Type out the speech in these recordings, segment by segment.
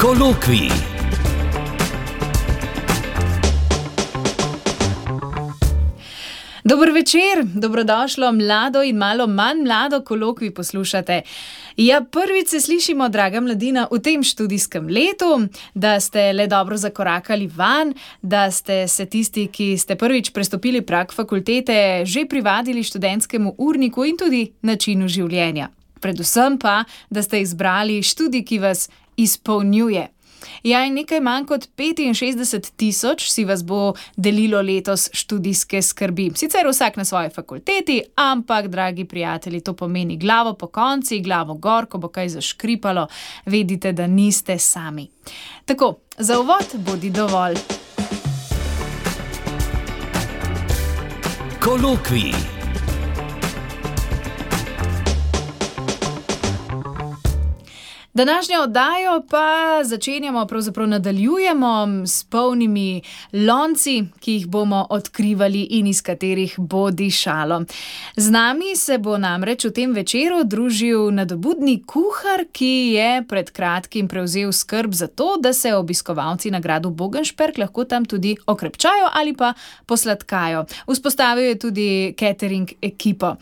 Kolokvij. Dober večer, dobrodošlo mlado in malo manj mlado kolokvij poslušate. Ja, prvič se slišimo, draga mladina, v tem študijskem letu, da ste le dobro zakorakali van, da ste se tisti, ki ste prvič prestopili prag fakultete, že privadili študentskemu urniku in tudi načinu življenja. Predvsem pa, da ste izbrali študij, ki vas izpolnjuje. Ja, in nekaj manj kot 65.000 si vas bo delilo letos študijske skrbi. Sicer vsak na svoji fakulteti, ampak, dragi prijatelji, to pomeni glavo pokonci, glavo gor, ko bo kaj zaškripalo, vedite, da niste sami. Tako, za uvod bodi dovolj. Kolokvij. Današnjo oddajo pa pravzaprav nadaljujemo s polnimi lonci, ki jih bomo odkrivali in iz katerih bo dišalo. Z nami se bo namreč v tem večeru družil nadobudni kuhar, ki je pred kratkim prevzel skrb za to, da se obiskovalci na gradu Bogenšperk lahko tam tudi okrepčajo ali pa posladkajo. Vzpostavil je tudi catering ekipo.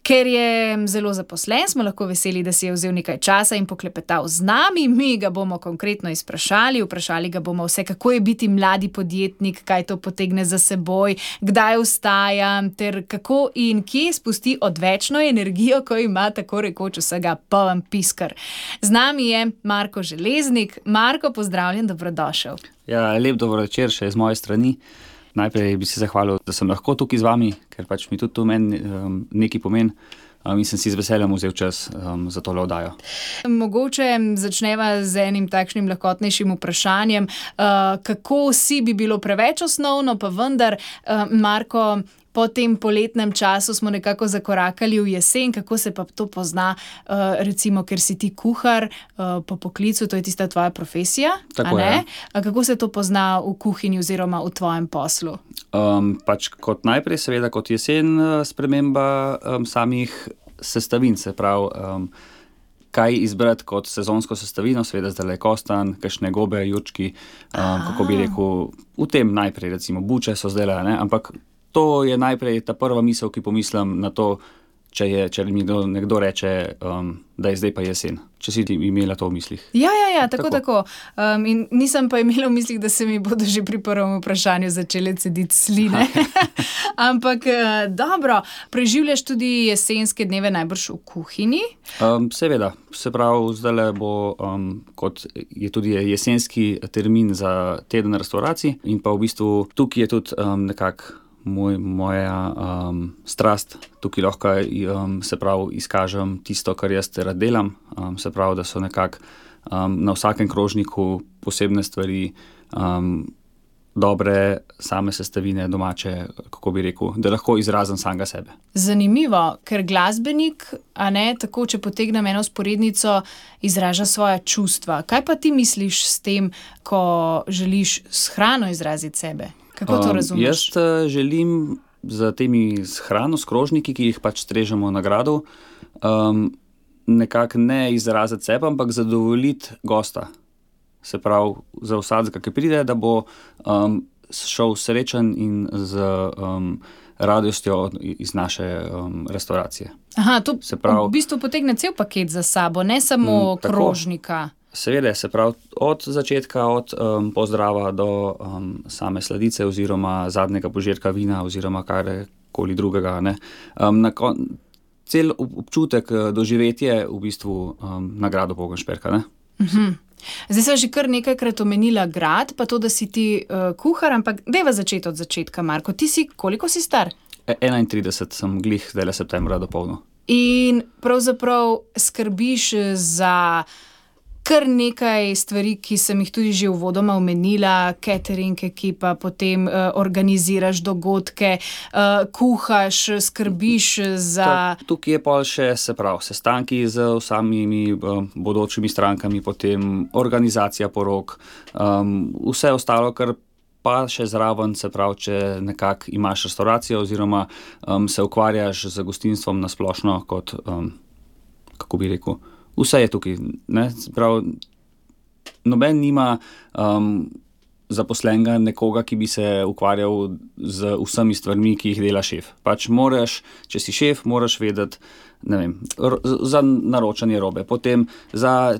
Ker je zelo zaposlen, smo lahko veseli, da si je vzel nekaj časa in poklepetal z nami. Mi ga bomo konkretno vprašali ga bomo vse, kako je biti mladi podjetnik, kaj to potegne za seboj, kdaj vstaja, ter kako in kje spusti odvečno energijo, ko ima tako rekoč vsega poln piskar. Z nami je Marko Železnik. Marko, pozdravljen, dobrodošel. Ja, lep dobro večer še z moje strani. Najprej bi se zahvalil, da sem lahko tukaj z vami, ker pač mi tudi to meni nekaj pomeni. In sem si z veseljem vzel čas za tole oddajo. Mogoče začneva z enim takšnim lahkotnejšim vprašanjem. Kako si bi bilo preveč osnovno, pa vendar, Marko, po tem poletnem času smo nekako zakorakali v jesen. Kako se pa to pozna, recimo, ker si ti kuhar po poklicu, to je tista tvoja profesija, tako, a ne? Ja. Kako se to pozna v kuhinji oziroma v tvojem poslu? Pač kot najprej, seveda, kot jesen sprememba samih sestavin, se pravi, kaj izbrati kot sezonsko sestavino, seveda zdaj kostan, kakšne gobe, jurčki, kako bi rekel, v tem najprej, recimo, buče so zdaj, ne, ampak to je najprej ta prva misel, ki pomislim na to, če mi nekdo reče, da je zdaj pa jesen. Če si ti imela to v mislih. Ja, tako. In nisem pa imela v mislih, da se mi bodo že pri prvem vprašanju začele cediti sline. Ampak dobro, preživljaš tudi jesenske dneve najbrž v kuhinji? Seveda, se pravi, zdajle bo, kot je tudi jesenski termin za teden restauracij in pa v bistvu tukaj je tudi nekako moja strast. Tukaj lahko se pravi izkažem tisto, kar jaz rad delam, se pravi, da so nekako na vsakem krožniku posebne stvari, dobre same sestavine, domače, kako bi rekel, da lahko izrazim samega sebe. Zanimivo, ker glasbenik, a ne, tako, če potegnem eno vzporednico, izraža svoja čustva. Kaj pa ti misliš s tem, ko želiš s hrano izraziti sebe? Kako to razumeš? Jaz želim za temi s hrano, s krožniki, ki jih pač strežemo na gradu, nekako ne izraziti sebe, ampak zadovoljiti gosta. Se pravi, za vsakega, ki pride, da bo šel srečen in z radostjo iz naše restauracije. Aha, to se pravi, v bistvu potegne cel paket za sabo, ne samo krožnika. Seveda, se pravi, od začetka, od pozdrava do same sladice oziroma zadnjega požirka vina oziroma karkoli drugega, ne. Cel občutek, doživetje v bistvu na gradu Bogenšperka, ne. Zdaj sem že kar nekajkrat omenila grad, pa to, da si ti kuhar, ampak dajva začeti od začetka, Marko. Ti si, koliko si star? 31 sem glih zdajle septembra dopolnil. In pravzaprav skrbiš za kar nekaj stvari, ki sem jih tudi že uvodoma omenila, catering ekipa, potem organiziraš dogodke, kuhaš, skrbiš za... Tukaj je pol še, se pravi, sestanki z vsemi bodočimi strankami, potem organizacija porok, vse ostalo, kar pa še zraven, se pravi, če nekako imaš restauracijo oziroma se ukvarjaš z gostinstvom na splošno kot, kako bi rekel, vse je tukaj, ne, se pravi, noben nima zaposlenega nekoga, ki bi se ukvarjal z vsemi stvarmi, ki jih dela šef. Pač moraš, če si šef, moraš vedeti, ne vem, za naročanje robe, potem za,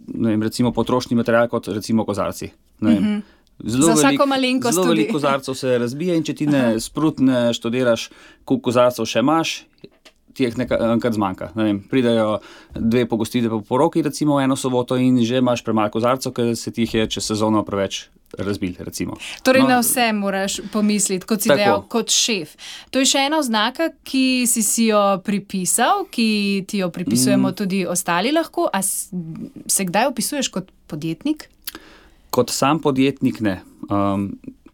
ne vem, recimo potrošni material, kot recimo kozarci. Ne vem. Za vsako malenkost Zelo tudi. veliko kozarcev se razbije in če ti ne sprutne študiraš, koliko kozarcev še imaš, ti jih enkrat zmanjka. Ne vem, pridejo 2 pogostitve po poroki, recimo eno soboto in že imaš premalo kozarcev, ker se ti jih je čez sezono preveč razbil, recimo. Torej na vse moraš pomisliti, kot si Tako. dejal, kot šef. To je še ena oznaka, ki si jo pripisal, ki ti jo pripisujemo tudi ostali lahko. A se kdaj opisuješ kot podjetnik? Kot sam podjetnik ne.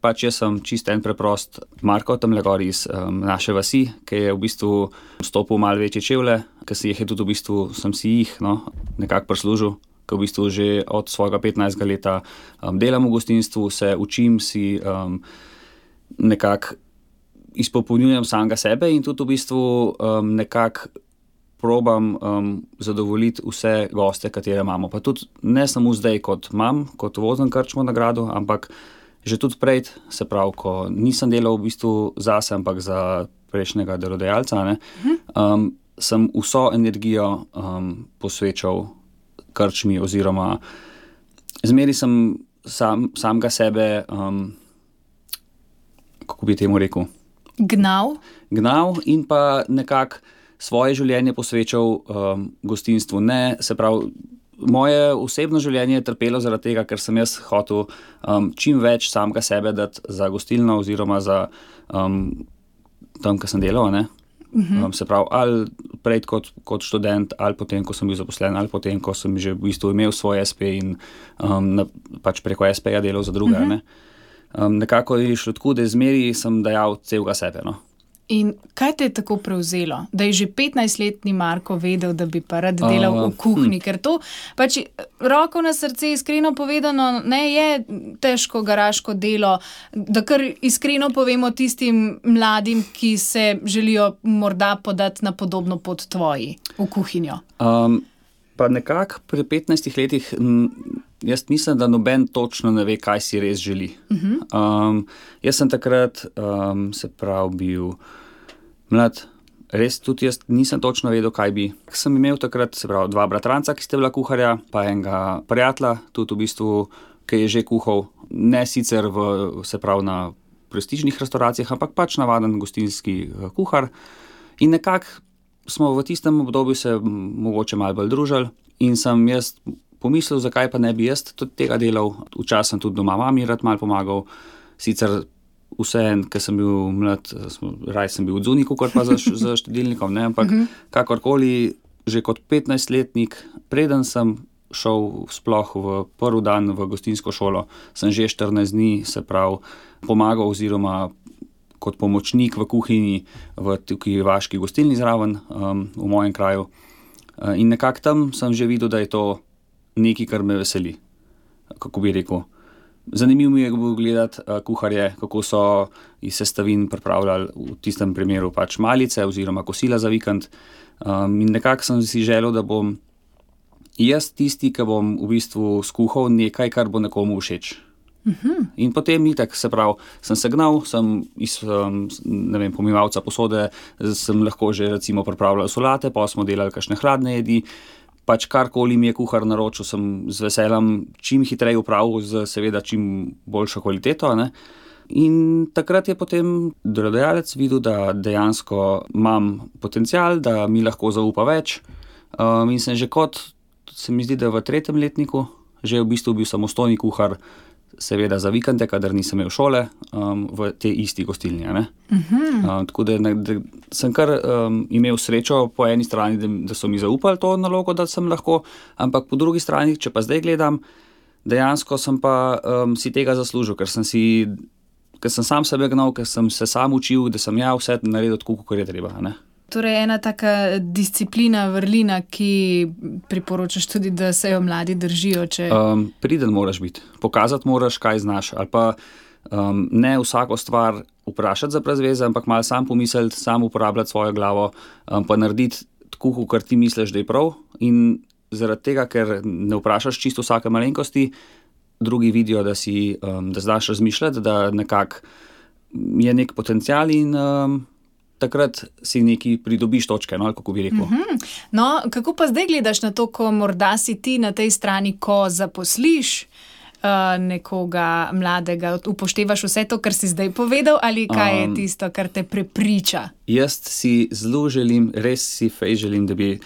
Pač jaz sem čist en preprost Marko tamle gor iz naše vasi, ki je v bistvu stopil malo večje čevlje, ki si jih je tudi v bistvu, sem si jih nekako prislužil, ki v bistvu že od svojega 15. leta delam v gostinstvu, se učim, si nekako izpopolnjujem samega sebe in tudi v bistvu nekako probam zadovoljiti vse goste, katere imamo. Pa tudi ne samo zdaj, kot vozim krčmo nagrado, ampak že tudi prej, se pravi, ko nisem delal v bistvu zase, ampak za prejšnjega delodajalca, sem vso energijo posvečal krčmi oziroma zmeri sem samega sebe, kako bi temu rekel? Gnal In pa nekako svoje življenje posvečal gostinstvu. Ne, se pravi, moje osebno življenje je trpelo zaradi tega, ker sem jaz hotel čim več samega sebe dati za gostilno oziroma za tam, kjer sem delal, ne. Se pravi, ali prej kot študent, ali potem, ko sem bil zaposlen, ali potem, ko sem že v bistvu imel svoj SP in pač preko SP-ja delal za druge, ne. Nekako je šlo tako, da zmeri sem dajal celega sebe, no. In kaj te je tako prevzelo, da je že 15-letni Marko vedel, da bi pa rad delal v kuhinji? Ker to pač roko na srce, iskreno povedano, ne je težko garaško delo, da kar iskreno povemo tistim mladim, ki se želijo morda podati na podobno pot tvoji v kuhinjo. Pa nekako pri 15 letih jaz mislim, da noben točno ne ve, kaj si res želi. Jaz sem takrat, se pravi, bil mlad, res tudi jaz nisem točno vedel, kaj bi. Sem imel takrat, se pravi, 2 bratranca, ki sta bila kuharja, pa enega prijatelja, tudi v bistvu, ki je že kuhal, ne sicer se pravi, na prestižnih restauracijah, ampak pač navaden gostinski kuhar. In nekako smo v tistem obdobju se mogoče malo bolj družili in sem jaz pomislil, zakaj pa ne bi jaz tudi tega delal. Včasih sem tudi doma mami rad malo pomagal, sicer vseeno, ker sem bil mlad, raje sem bil odzunaj, kakor pa za štedilnikom, ne, ampak kakorkoli, že kot 15-letnik, preden sem šel sploh v prvi dan v gostinsko šolo, sem že 14 dni, se pravi, pomagal oziroma kot pomočnik v kuhinji v tukaj vaški gostilni zraven, v mojem kraju. In nekako tam sem že videl, da je to nekaj, kar me veseli, kako bi rekel. Zanimivo mi je gledati kuharje, kako so iz sestavin pripravljali v tistem primeru pač malice oziroma kosila za vikend. In nekako sem si želel, da bom jaz tisti, ki bom v bistvu skuhal nekaj, kar bo nekomu všeč. In potem itak, se pravi, sem se gnal, sem iz, ne vem, pomivalca posode, sem lahko že recimo pripravljal solate, pa smo delali kakšne hladne jedi. Pač karkoli mi je kuhar naročil, sem z veseljem čim hitreje upravil, z seveda čim boljšo kvaliteto, ne. In takrat je potem delodajalec videl, da dejansko imam potencial, da mi lahko zaupa več. In sem že se mi zdi, da v 3. letniku, že v bistvu bil samostojni kuhar, seveda za vikende, kadar nisem imel šole, v tej isti gostilni, ne. Tako da sem kar imel srečo po eni strani, da so mi zaupali to nalogo, da sem lahko, ampak po drugi strani, če pa zdaj gledam, dejansko sem pa si tega zaslužil, ker sem sam sebe gnal, ker sem se sam učil, da sem ja vse naredil tako, kakor je treba, ne. Torej ena taka disciplina, vrlina, ki priporočaš tudi, da se jo mladi držijo, če... Priden moraš biti, pokazati moraš, kaj znaš, ali pa ne vsako stvar vprašati za brez veze, ampak malo sam pomisliti, sam uporabljati svojo glavo, pa narediti tako, kar ti misliš, da je prav, in zaradi tega, ker ne vprašaš čisto vsake malenkosti, drugi vidijo, da znaš razmišljati, da nekako je nek potencial in takrat si neki pridobiš točke, no, ali kako bi rekel. No, kako pa zdaj gledaš na to, ko morda si ti na tej strani, ko zaposliš nekoga mladega, upoštevaš vse to, kar si zdaj povedal, ali kaj je tisto, kar te prepriča? Jaz si zelo želim, res si fejs želim, da bi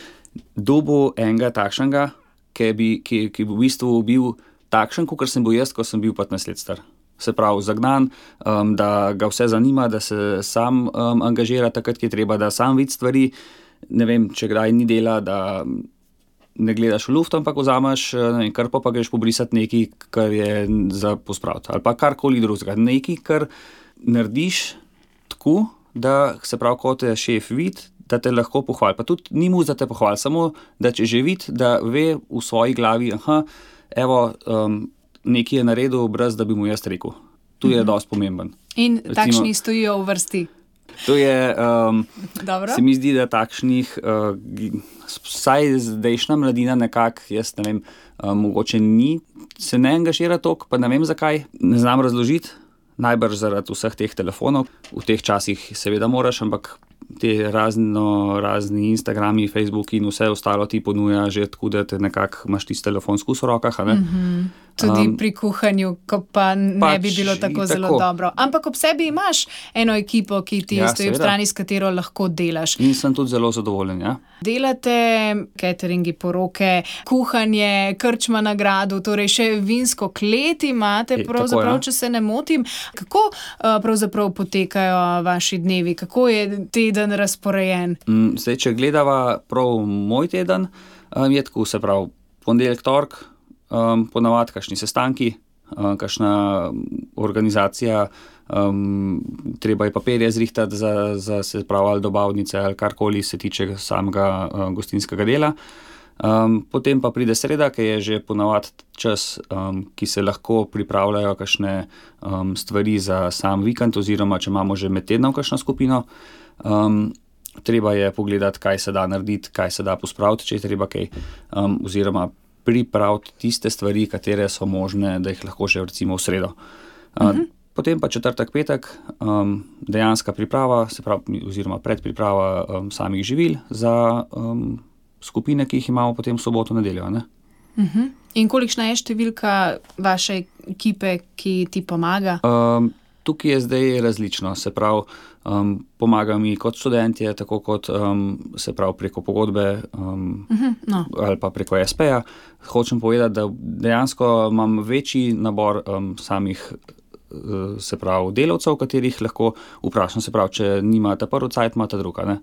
dobil enega takšnega, ki bi v bistvu bil takšen, kot sem bil jaz, ko sem bil 15 let star. Se pravi, zagnan, da ga vse zanima, da se sam angažira takrat, ki je treba, da sam vidi stvari. Ne vem, če kdaj ni dela, da ne gledaš v luft, ampak vzameš krpo, pa greš pobrisati nekaj, kar je za pospraviti. Ali pa karkoli drugega. Nekaj, kar narediš tako, da se pravi, ko te šef vidi, da te lahko pohvali. Pa tudi ni mu za te pohvali, samo da če že vidi, da ve v svoji glavi, nekaj je naredil, brez da bi mu jaz rekel. Tu je dosti pomemben. In takšni stojijo v vrsti. To je, se mi zdi, da takšnih, vsaj zdajšnja mladina nekako, jaz ne vem, mogoče se ne angažira toliko, pa ne vem zakaj, ne znam razložiti, najbrž zaradi vseh teh telefonov. V teh časih seveda moraš, ampak te razni Instagrami, Facebooki in vse ostalo ti ponuja že tako, da te nekako imaš tisti telefon skus v rokah, a ne? Tudi pri kuhanju, ko pa ne bi bilo tako zelo dobro. Ampak ob sebi imaš eno ekipo, ki ti stoji v strani, s katero lahko delaš. In sem tudi zelo zadovoljen, ja. Delate cateringi, poroke, kuhanje, krčma na gradu, torej še vinsko klet imate, pravzaprav, če se ne motim. Kako pravzaprav potekajo vaši dnevi? Kako je teden razporejen? Zdaj, če gledava prav moj teden, je tako, se pravi, ponedeljek, torek, ponavadi kakšni sestanki, kakšna organizacija, treba je papirje zrihtati za se pravi ali dobavnice ali karkoli se tiče samega gostinskega dela. Potem pa pride sreda, ki je že ponavadi čas, ki se lahko pripravljajo kakšne stvari za sam vikend oziroma če imamo že med tednom kakšno skupino. Treba je pogledati, kaj se da narediti, kaj se da pospraviti, če je treba kaj, oziroma pripraviti tiste stvari, katere so možne, da jih lahko že recimo v sredo. Potem pa četrtek, petek, dejanska priprava, se pravi, oziroma predpriprava samih živil za skupine, ki jih imamo potem v soboto, nedeljo, ne? In kolikšna je številka vaše ekipe, ki ti pomaga? Tukaj je zdaj različno, se pravi, pomagajo mi kot študentje, tako kot se pravi preko pogodbe ali pa preko SP-ja. Hočem povedati, da dejansko imam večji nabor samih se pravi delavcev, katerih lahko vprašam, se pravi, če nimate prvi cajt, imate druga, ne?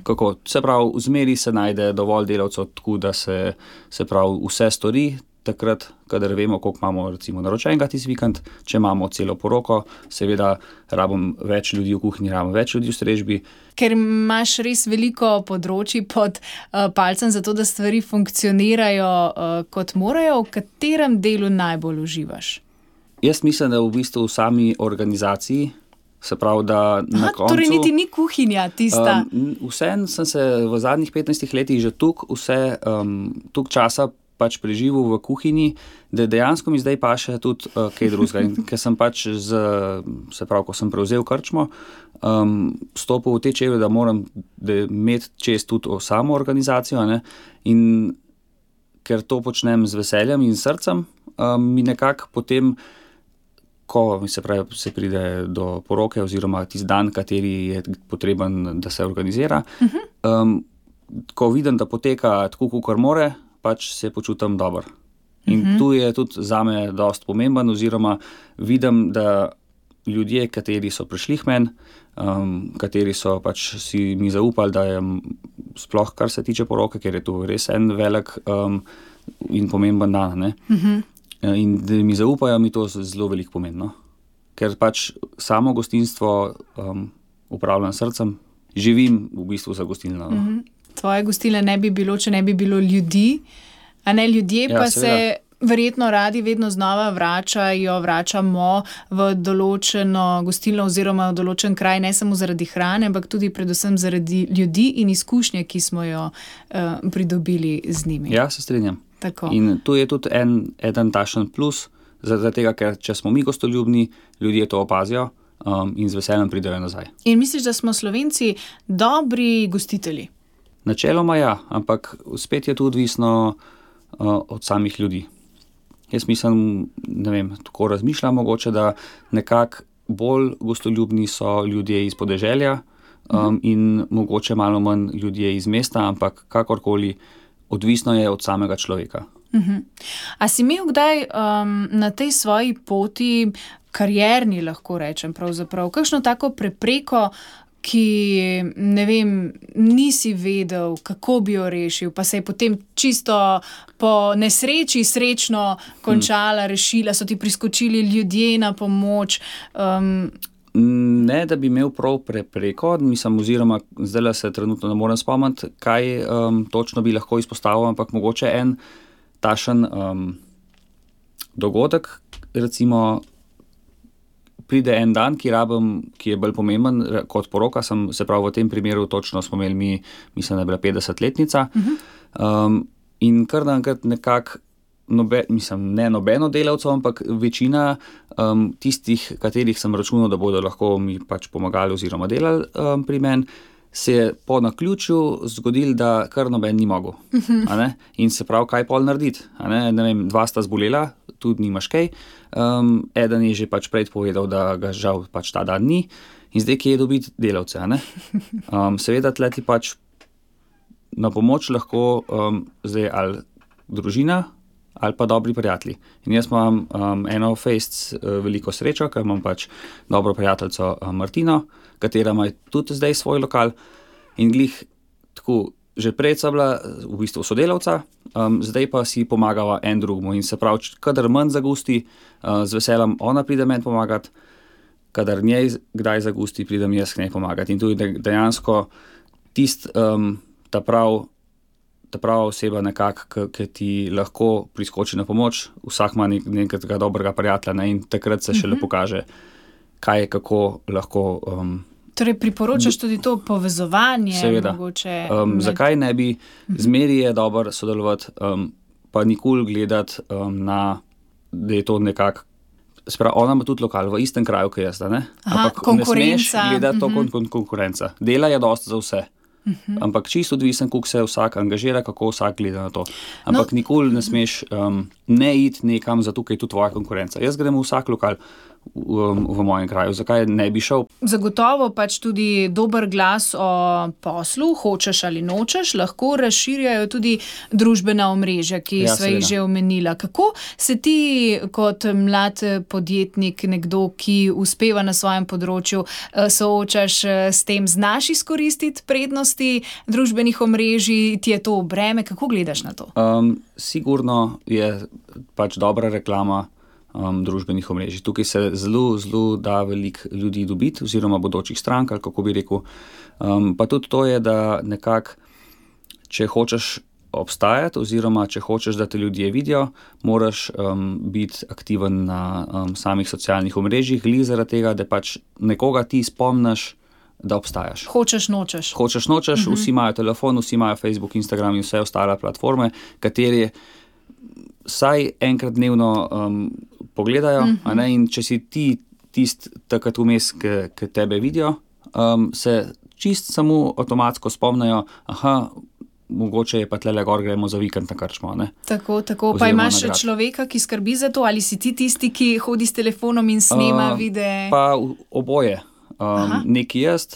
Kako? Se pravi, vzmeri se najde dovolj delavcev, tako da se pravi vse stori, takrat, kadar vemo, koliko imamo recimo naročenega tisti vikend, če imamo celo poroko, seveda rabim več ljudi v kuhinji, rabim več ljudi v strežbi. Ker imaš res veliko področji pod palcem za to, da stvari funkcionirajo kot morajo, v katerem delu najbolj uživaš? Jaz mislim, da v bistvu v sami organizaciji, se pravi, da na koncu... Torej niti ni kuhinja tista. Vseeno sem se v zadnjih 15 letih že toliko časa pač preživel v kuhinji, da dejansko mi zdaj paše tudi kaj drugega. In ker sem pač se pravi, ko sem prevzel krčmo, stopil v te čevlje, da moram imeti čez tudi samo organizacijo, ne? In ker to počnem z veseljem in srcem, mi nekako potem, ko se pride do poroke oziroma tisti dan, kateri je potreben, da se organizira, ko vidim, da poteka tako, kakor more, pač se počutim dobro. In tu je tudi zame dosti pomemben, oziroma vidim, da ljudje, kateri so prišli k meni, kateri so pač si mi zaupali, da je sploh kar se tiče poroke, ker je tu res en velik in pomemben dan, ne? In da mi zaupajo, mi to zelo veliko pomeni, no? Ker pač samo gostinstvo upravljam srcem, živim v bistvu za gostilno, no? Tvoje gostilne ne bi bilo, če ne bi bilo ljudi, a ne, ljudje pa se verjetno radi vedno znova vračamo v določeno gostilno oziroma v določen kraj, ne samo zaradi hrane, ampak tudi predvsem zaradi ljudi in izkušnje, ki smo jo pridobili z njimi. Ja, se strinjam. Tako. In tu je tudi eden takšen plus, zaradi tega, ker če smo mi gostoljubni, ljudje to opazijo in z veseljem pridejo nazaj. In misliš, da smo Slovenci dobri gostitelji? Načeloma ja, ampak spet je to odvisno od samih ljudi. Jaz mislim, ne vem, tako razmišljam mogoče, da nekako bolj gostoljubni so ljudje iz podeželja in mogoče malo manj ljudje iz mesta, ampak kakorkoli odvisno je od samega človeka. A si imel kdaj na tej svoji poti, karierni lahko rečem pravzaprav, kakšno tako prepreko, ki, ne vem, nisi vedel, kako bi jo rešil, pa se je potem čisto po nesreči srečno končala, rešila, so ti priskočili ljudje na pomoč? Ne, da bi imel prav prepreko, mislim, oziroma zdaj se trenutno ne morem spomniti, kaj točno bi lahko izpostavil, ampak mogoče en takšen dogodek, recimo, pride en dan, ki je bolj pomemben kot poroka, se pravi v tem primeru točno smo imeli mislim, da je bila 50-letnica in kar naenkrat nekako, ne nobeno delavcev, ampak večina tistih, katerih sem računal, da bodo lahko mi pač pomagali oziroma delali pri meni, se je po naključju zgodilo, da kar noben ni mogel. In se pravi, kaj pol narediti? Ne vem, 2 sta zbolela, tudi nimaš kaj. Eden je že pač prej povedal, da ga žal pač ta dan ni. In zdaj, kje je dobiti delavce? Seveda tle ti pač na pomoč lahko zdaj ali družina ali pa dobri prijatelji. In jaz imam eno fejst veliko srečo, ker imam pač dobro prijateljico Martino, katera ima tudi zdaj svoj lokal in glih tako, že prej sta bila v bistvu sodelavca, zdaj pa si pomagava en drugmu in se pravi, kadar manj zagusti, z veseljem ona pride meni pomagati, kadar njej kdaj zagusti, pridem jaz k njej pomagati. In tudi dejansko ta prava oseba nekako, ki ti lahko priskoči na pomoč, vsak ima nekega dobrega prijatelja in takrat se šele pokaže, kaj je, kako lahko... Torej priporočaš tudi to povezovanje? Seveda. Mogoče zakaj ne bi? Zmeri je dobro sodelovati, pa nikoli gledati da je to nekako... Sprav, ona ima tudi lokal v istem kraju, kot jaz, ne? Ampak konkurenca. Ne smeš gledati to konkurenca. Dela je dosti za vse. Ampak čisto odvisen, kako se vsak angažira, kako vsak gleda na to. Ampak nikoli ne smeš ne iti nekam, zato ker je tu tvoja konkurenca. Jaz grem v vsak lokal v mojem kraju. Zakaj ne bi šel? Zagotovo pač tudi dober glas o poslu, hočeš ali nočeš, lahko razširjajo tudi družbena omrežja, ki sva jih že omenila. Kako se ti kot mlad podjetnik, nekdo, ki uspeva na svojem področju, soočaš s tem, znaš izkoristiti prednosti družbenih omrežij, ti je to breme, kako gledaš na to? Sigurno je pač dobra reklama družbenih omrežij. Tukaj se zelo da veliko ljudi dobiti, oziroma bodočih strank, ali kako bi rekel. Pa tudi to je, da nekako, če hočeš obstajati, oziroma če hočeš, da te ljudje vidijo, moraš biti aktiven na samih socialnih omrežjih, glih zaradi tega, da pač nekoga ti spomniš, da obstajaš. Hočeš, nočeš. Hočeš, nočeš, vsi imajo telefon, vsi imajo Facebook, Instagram in vse ostale platforme, katere vsaj enkrat dnevno pogledajo, in če si ti takrat vmes, ki tebe vidijo, se čist samo avtomatsko spomnijo, mogoče je pa tlele gor, gremo za vikend na krčmo. Tako. Pa imaš še človeka, ki skrbi za to, ali si ti tisti, ki hodi s telefonom in snema videe? Pa oboje. Neki jaz,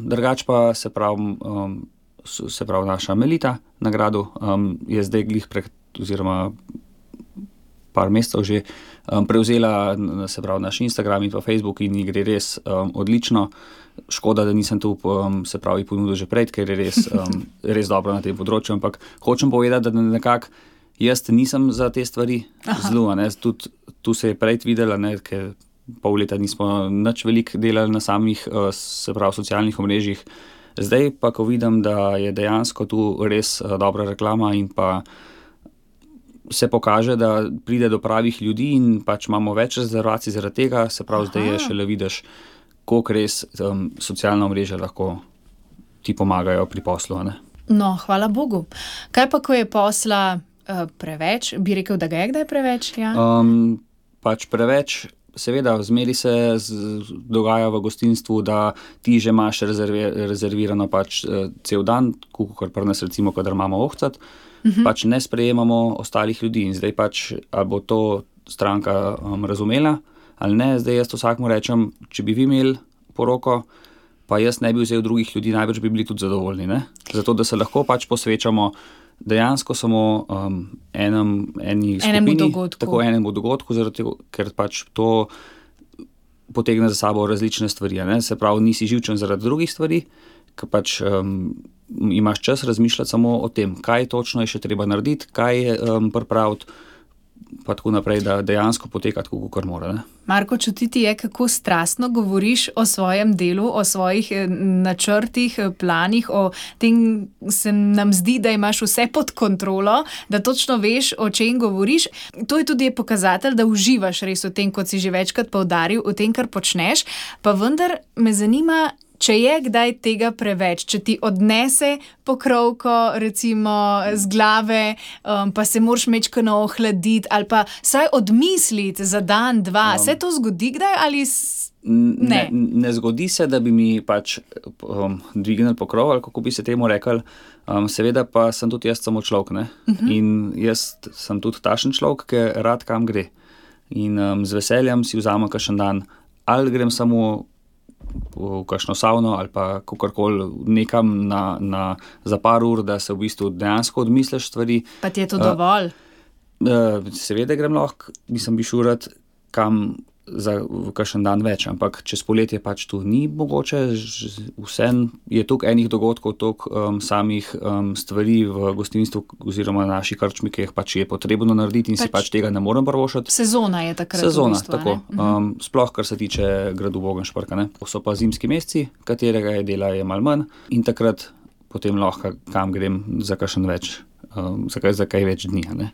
drugač pa se pravi naša Melita na gradu, je zdaj glih oziroma par mesecev že prevzela se pravi naš Instagram in pa Facebook in ji gre res odlično. Škoda, da nisem tu se pravi ponudil že prej, ker je res dobro na tem področju, ampak hočem povedati, da nekako jaz nisem za te stvari zelo, tudi tu se je prej videla, ker pol leta nismo nič veliko delali na samih se pravi socialnih omrežjih. Zdaj pa, ko vidim, da je dejansko tu res dobra reklama in pa se pokaže, da pride do pravih ljudi in pač imamo več rezervacij zaradi tega, se pravi, zdaj je šele vidiš, koliko res socialna omrežja lahko ti pomagajo pri poslu. Ne? No, hvala Bogu. Kaj pa, ko je posla preveč? Bi rekel, da ga je kdaj preveč? Ja? Pač preveč, seveda, zmeri se dogaja v gostinstvu, da ti že imaš rezervirano pač cel dan, kot pri nas recimo, kadar imamo ohcat, pač ne sprejemamo ostalih ljudi in zdaj pač, ali bo to stranka razumela ali ne, zdaj jaz vsakmu rečem, če bi vi imeli poroko, pa jaz ne bi vzel drugih ljudi, najbrž bi bili tudi zadovoljni, ne? Zato, da se lahko pač posvečamo dejansko samo eni skupini, tako enemu dogodku, zaradi tega, ker pač to potegne za sabo različne stvari, ne? Se pravi, nisi živčen zaradi drugih stvari, ker pač imaš čas razmišljati samo o tem, kaj točno je še treba narediti, kaj je pripraviti, pa tako naprej, da dejansko poteka tako, kakor mora. Ne? Marko, čutiti je, kako strastno govoriš o svojem delu, o svojih načrtih, planih, o tem se nam zdi, da imaš vse pod kontrolo, da točno veš, o čem govoriš. To je tudi pokazatelj, da uživaš res v tem, kot si že večkrat poudaril, v tem, kar počneš, pa vendar me zanima, če je kdaj tega preveč, če ti odnese pokrovko recimo z glave, pa se moraš mečkano ohladiti ali pa saj odmisliti za dan, dva. Se to zgodi kdaj ali ne? Ne zgodi se, da bi mi pač dvignili pokrov ali kako bi se temu rekli. Seveda pa sem tudi jaz samo človek, ne? In jaz sem tudi takšen človek, ki rad kam gre. In z veseljem si vzamem kakšen dan, ali grem samo v kakšno savno ali pa kakorkoli nekam za par ur, da se v bistvu dejansko odmisliš stvari. Pa ti je to dovolj? Seveda grem lahko, bi šel rad kam v kakšen dan več, ampak čez poletje pač tu ni mogoče, vsem je toliko enih dogodkov, toliko samih stvari v gostinstvu oziroma naši krčmi, ki jih pač je potrebno narediti in si pač tega ne morem privoščiti. Sezona je takrat. Sezona, v bistvu, tako. Sploh, kar se tiče gradu Vogelšparka, ne. So pa zimski meseci, katerega je dela je malo manj in takrat potem lahko kam grem za kakšen več, za kaj več dni, ne.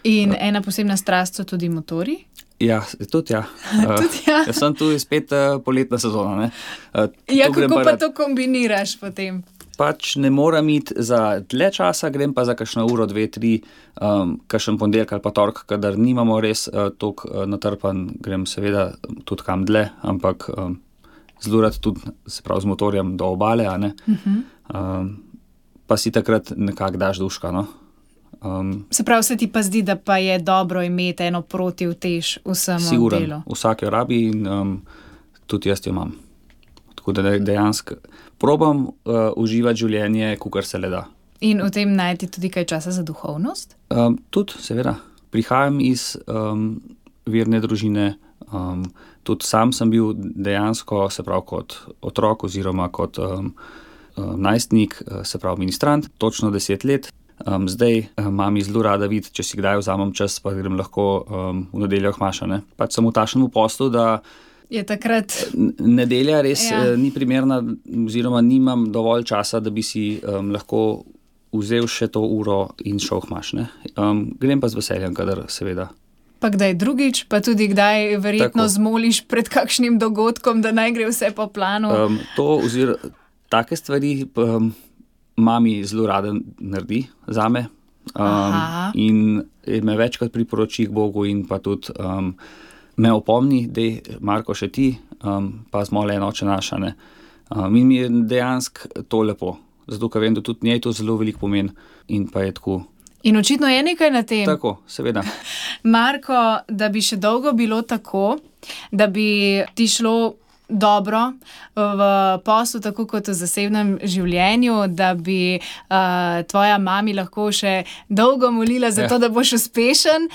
In ena posebna strast so tudi motorji? Ja, tudi ja. Tudi ja. Jaz sem tu spet poletna sezona, ne. Ja, kako pa to kombiniraš potem? Pač ne moram iti za dlje časa, grem pa za kakšno uro, 2, 3, kakšen ponedeljek ali pa torek, kadar nimamo res toliko natrpan, grem seveda tudi kam dlje, ampak zelo rad tudi, se pravi, z motorjem do obale, a ne. Pa si takrat nekako daš duška, no. Se pravi, se ti pa zdi, da pa je dobro imeti eno protivtež vsemu delu? Siguren, vsak jo rabi in tudi jaz jo imam. Tako da dejansko probam uživati življenje, kakor se le da. In v tem najti tudi kaj časa za duhovnost? Tudi, seveda. Prihajam iz verne družine, tudi sam sem bil dejansko, se pravi, kot otrok oziroma kot najstnik, se pravi, ministrant, točno 10 let. Zdaj mami zelo rada vidi, če si kdaj vzamem čas, pa grem lahko v nedeljo k maša, ne. Pač sem v takšnem poslu, da je takrat nedelja res ni primerna oziroma nimam dovolj časa, da bi si lahko vzel še to uro in šel k maš, ne. Grem pa z veseljem, kadar seveda. Pa kdaj drugič, pa tudi kdaj verjetno zmoliš pred kakšnim dogodkom, da naj gre vse po planu? Take stvari mami zelo rada naredi zame in me večkrat priporoči k Bogu in pa tudi me opomni, dej Marko še ti, pa zmoli en Oče naš, ne. In mi je dejansko to lepo, zato ker vem, da tudi njej to zelo veliko pomeni in pa je tako. In očitno je nekaj na tem. Tako, seveda. Marko, da bi še dolgo bilo tako, da bi ti šlo dobro v poslu, tako kot v zasebnem življenju, da bi tvoja mami lahko še dolgo molila za to, da boš uspešen,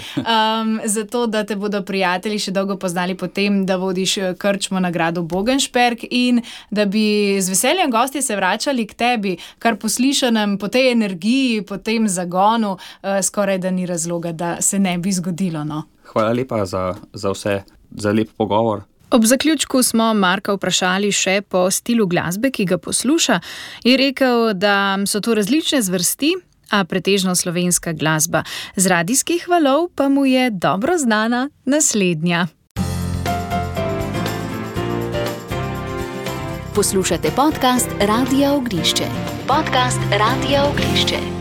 za to, da te bodo prijatelji še dolgo poznali potem, da vodiš krčmo na gradu Vogelšpark in da bi z veseljem gostje se vračali k tebi, kar po slišanem, po tej energiji, po tem zagonu, skoraj da ni razloga, da se ne bi zgodilo, no. Hvala lepa za vse, za lep pogovor. Ob zaključku smo Marka vprašali še po stilu glasbe, ki ga posluša. Je rekel, da so to različne zvrsti, a pretežno slovenska glasba. Z radijskih valov pa mu je dobro znana naslednja. Poslušate podcast Radia Ognjišče. Podcast Radia Ognjišče.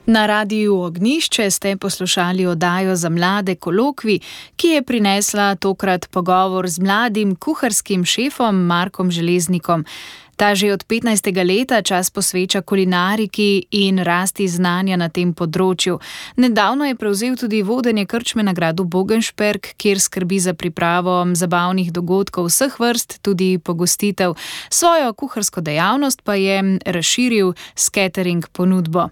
Na Radiu Ognjišče ste poslušali oddajo za mlade Kolokvij, ki je prinesla tokrat pogovor z mladim kuharskim šefom Markom Železnikom. Ta že od 15. leta čas posveča kulinariki in rasti znanja na tem področju. Nedavno je prevzel tudi vodenje krčme na gradu Bogenšperk, kjer skrbi za pripravo zabavnih dogodkov vseh vrst, tudi pogostitev. Svojo kuharsko dejavnost pa je razširil s catering ponudbo.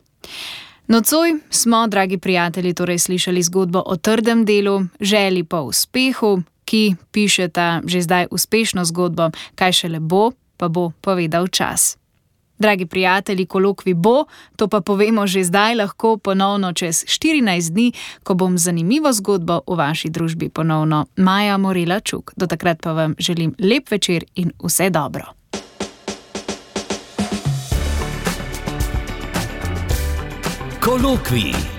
Nocoj smo, dragi prijatelji, torej slišali zgodbo o trdem delu, želji po uspehu, ki pišeta že zdaj uspešno zgodbo, kaj šele bo, pa bo povedal čas. Dragi prijatelji, kolokvij bo, to pa povemo že zdaj, lahko ponovno čez 14 dni, ko bom zanimivo zgodbo v vaši družbi ponovno Maja Morela Čuk. Do takrat pa vam želim lep večer in vse dobro. Kolokvij.